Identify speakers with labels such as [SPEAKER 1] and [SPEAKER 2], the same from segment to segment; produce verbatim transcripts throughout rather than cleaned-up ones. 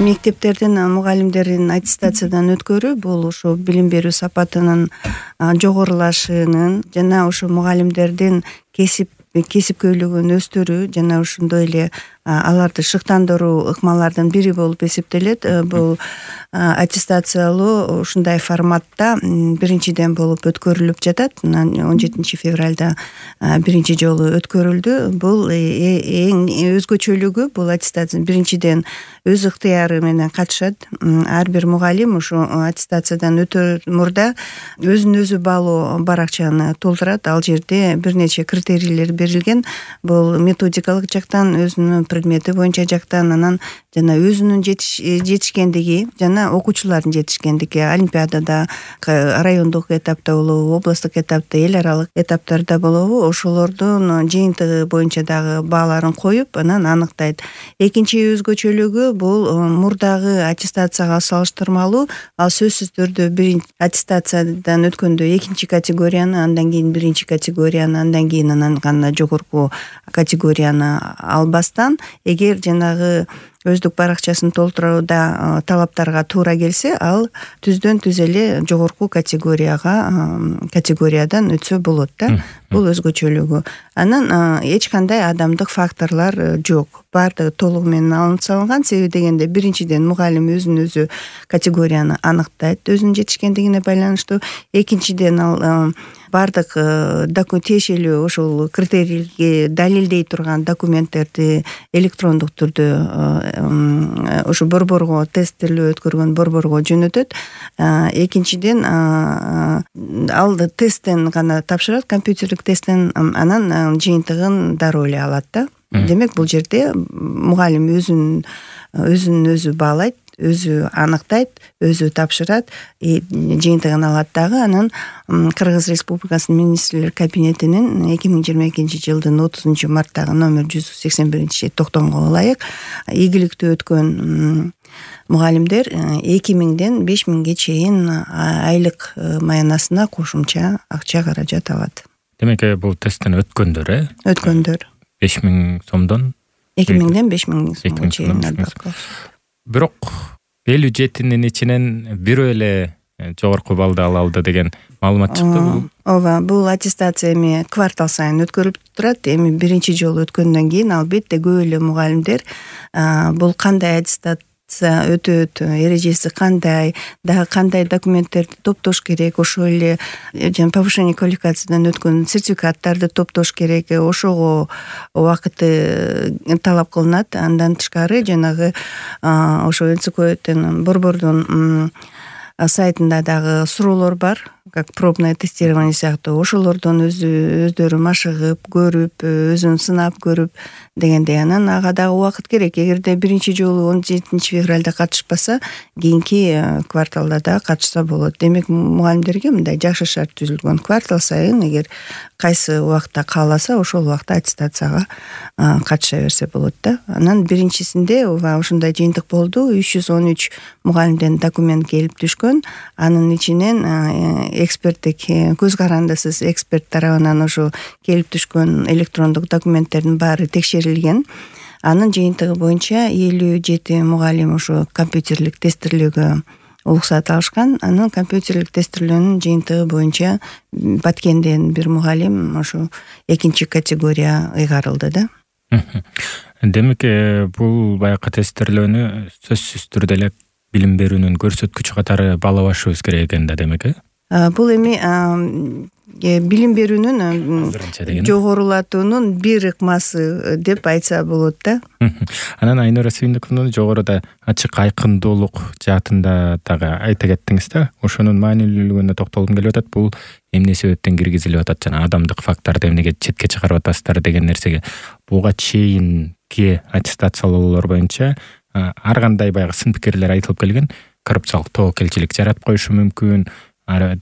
[SPEAKER 1] мектептердин мугалимдерин аттестациядан өткөрүү бул ушу билим берүү сапатынын жогорулашынын жана ушу мугалимдердин кесип кесипкөйлүгүн өстүрүү жана ошондой эле аларды шыктандыруу ыкмалардын бири болуп эсептелет. Бул аттестациялоо ушундай форматта биринчиден болуп өткөрүлүп жатат. он жетинчи февралда биринчи жолу өткөрүлдү. Бул эң өзгөчөлүгү бул аттестация биринчиден өз ыктыяры менен катышат. Ар бир мугалим ушу аттестациядан өтөр мурда өзүн өзү баалоо баракчаны толтурат. Ал жерде бир нече критерийлер берилген. Бул методикалык жактан өзүнүн предмети боюнча жактан анан жана өзүнүн жетишкендиги жана окуучулардын жетишкендиги олимпиадада, райондук этапта болобу, областтык этапта, эл аралык этаптарда болобу, ошолордун жыйынтыгы боюнча дагы бааларын коюп анан аныктайт. Экинчи өзгөчөлүгү бул мурдагы аттестацияга салыштырмалуу ал сөзсүз түрдө бир аттестациядан өткөндө экинчи категорияны, андан кийин биринчи категорияны, андан кийин анан гана жогорку категорияны албастан эгер жанагы өздүк баракчасын толтурууда талаптарга туура келсе, ал түздөн түз эле жогорку категорияга категориядан өтсө болот да. Бул өзгөчөлүгү. Анан эч кандай адамдык факторлор жок. Баардыгы толугу менен алынып салынган. Себеби дегенде биринчиден мугалим өзүн өзү категорияны аныктайт өзүнүн жетишкендигине байланыштуу. Экинчиден ал баардык тиешелүү ошол критерийге далилдей турган документтерди электрондук түрдө ошо борборго тесттелөө өткөргөн борборго жөнөтөт. Экинчиден ал тесттен гана тапшырат, компьютерлик тесттен, анан жыйынтыгын дароо эле алат да. Демек бул жерде мугалим өзүн өзүн өзү баалайт, өзү аныктайт, өзү тапшырат, жыйынтыгын алат дагы. Анан Кыргыз Республикасынын министрлер кабинетинин эки миң жыйырма экинчи жылдын отузунчу марттагы номер жүз сексен биринчи токтомго ылайык ийгиликтүү өткөн мугалимдер эки миңден беш миңге чейин айлык маянасына кошумча акча каражат алат.
[SPEAKER 2] Демек бул тесттен өткөндөр, э?
[SPEAKER 1] Өткөндөр.
[SPEAKER 2] беш миң сомдон
[SPEAKER 1] эки миңден беш миң сомго чейин албак.
[SPEAKER 2] Бирок элүү жетинин ичинен бирөө эле жогорку баллды ала алды деген маалымат чыкты.
[SPEAKER 1] Ооба, бул аттестация эми квартал сайын өткөрүлүп турат. Эми биринчи жолу өткөндөн кийин албетте көп эле мугалимдер бул кандай аттестация өтөт, эрежеси кандай, дагы кандай документтерди топтош керек, ошол эле жана повышение квалификациядан өткөн сертификаттарды топтош керек, ошого убакыты талап кылынат. Андан тышкары жанагы ошо эн цэ ка өтүн борбордун сайтында дагы суроолор бар, как пробное тестирование сыяктуу. Ошолордон өзү өздөрү машыгып, көрүп, өзүн сынап көрүп дегендей. Анан ага дагы убакыт керек. Эгерде биринчи жолу он жетинчи февралда катышпаса, кийинки кварталда да катышса болот. Демек мугалимдерге мындай жакшы шарт түзүлгөн. Квартал сайын эгер кайсы убакта кааласа, ошол убакта аттестацияга катыша берсе болот да. Анан биринчисинде ушундай жыйынтык болду. үч жүз он үч мугалимден документ келип түшкөн. Анын ичинен эксперттик көз карандысыз эксперт тарабынан ошо келип түшкөн электрондук документтердин баары текшерилген. Анын жыйынтыгы боюнча элүү жети мугалим ошо компьютерлик тестирлөөгө уруксат алышкан. Анын компьютерлик тестирлөөнүн жыйынтыгы боюнча Баткенден бир мугалим ошо экинчи категория ыйгарылды да.
[SPEAKER 2] Демек бул баягы тестирлөөнү сөзсүз түрдө эле билим берүүнүн көрсөткүчү катары баалабашыбыз керек экен да, демек э?
[SPEAKER 1] Бул эми билим берүүнүн жогорулатуунун бир ыкмасы деп айтса болот да.
[SPEAKER 2] Анан Айнура Сүйүндүкованын жогоруда ачык айкындуулук жаатында дагы айта кеттиңиз да. Ошонун маанилүүлүгүнө токтолгум келип атат. Бул эмне себептен киргизилип атат жана адамдык факторду эмнеге четке чыгарып атасыздар деген нерсеге буга чейинки аттестациялоолор боюнча ар кандай баягы сын пикирлер айтылып келген. Коррупциялык тобокелчилик жарап коюшу мүмкүн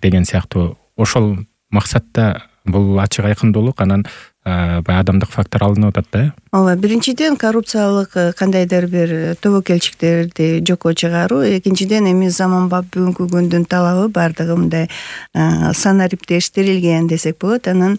[SPEAKER 2] деген сыяктуу. Ошол максатта бул ачык айкындуулук анан баягы адамдык фактор алынып атат да.
[SPEAKER 1] Ооба, биринчиден коррупциялык кандайдыр бир тобокелчиликтерди жокко чыгаруу, экинчиден эми заманбап бүгүнкү күндүн талабы баардыгы мындай санариптештирилген десек болот. Анан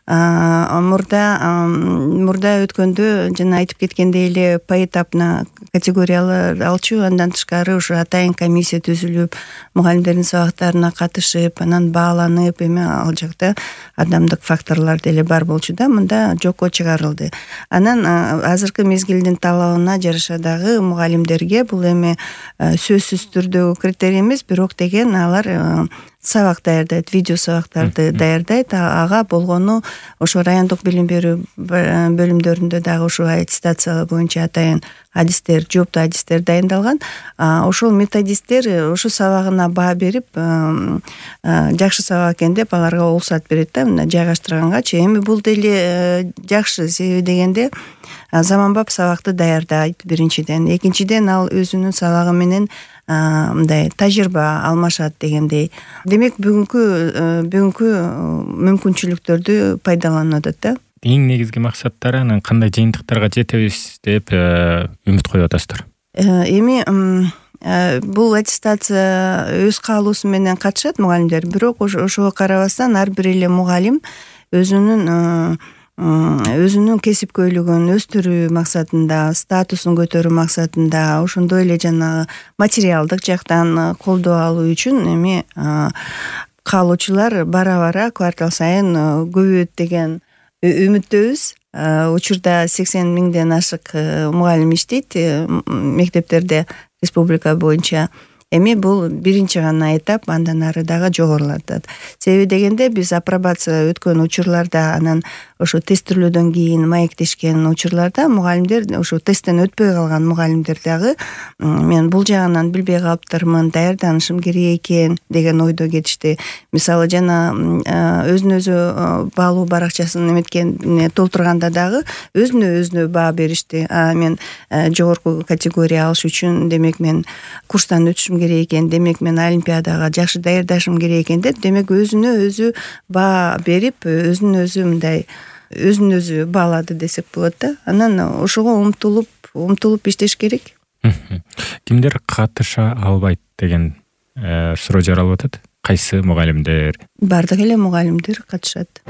[SPEAKER 1] мурда мурда өткөндө жана айтып кеткендей эле поэтапно категориялар алчу, андан тышкары ушу атайын комиссия түзүлүп, мугалимдердин сабактарына катышып, анан бааланып, эми ал жакта адамдык факторлор деле бар болчу да, мында жокко чыгарылды. Анан азыркы мезгилдин талабына жараша дагы мугалимдерге бул эми сөзсүз түрдө критерий эмес, бирок деген алар сабак даярдайт, видео сабактарды даярдайт. Ага болгону ошо райондук билим берүү бөлүмдөрүндө дагы ошо аттестация боюнча атайын адистер, жооптуу адистер дайындалган. Ошол методисттер ошо сабагына баа берип, жакшы сабак экен деп аларга уруксат берет да, мына жайгаштыргангачы. Эми бул деле жакшы, себеби дегенде заманбап сабакты даярдайт биринчиден, экинчиден ал өзүнүн сабагы менен мындай тажрыйба алмашат дегендей. Демек бүгүнкү бүгүнкү мүмкүнчүлүктөрдү пайдаланып атат да.
[SPEAKER 2] Эң негизги максаттары анан кандай жыйынтыктарга жетебиз деп үмүт коюп атасыздар?
[SPEAKER 1] Эми бул аттестация өз каалоосу менен катышат мугалимдер, бирок ошого карабастан ар бир эле мугалим өзүнүн өзүнүн кесипкөйлүгүн өстүрүү максатында, статусун көтөрүү максатында, ошондой эле жанагы материалдык жактан колдоо алуу үчүн эми каалоочулар бара-бара квартал сайын көбөйөт деген үмүттөбүз. Учурда сексен миңден ашык мугалим иштейт мектептерде республика боюнча. Эми бул биринчи гана этап, андан ары дагы жогорулатат. Себеби дегенде биз апробация өткөн учурларда, анан ошо тестирүүлөрдөн кийин маектешкен учурларда мугалимдер, ошо тесттен өтпөй калган мугалимдер дагы мен бул жагынан билбей калыптырмын, даярданышым керек экен деген ойдо кетишти. Мисалы жана өзүнө өзү баалуу баракчасын эметкен толтурганда дагы өзүнө өзүнө баа беришти. Мен жогорку категория алыш үчүн демек мен курстан өтүшүм керек экен, демек мен олимпиадага жакшы даярдашым керек экен деп, демек өзүнө өзү баа берип, өзүн өзү мындай өзүн өзү баалады десек болот да. Анан ошого умтулуп, умтулуп иштеш керек.
[SPEAKER 2] Кимдер катыша албайт деген суроо жаралып атат? Кайсы мугалимдер?
[SPEAKER 1] Бардык эле мугалимдер катышат.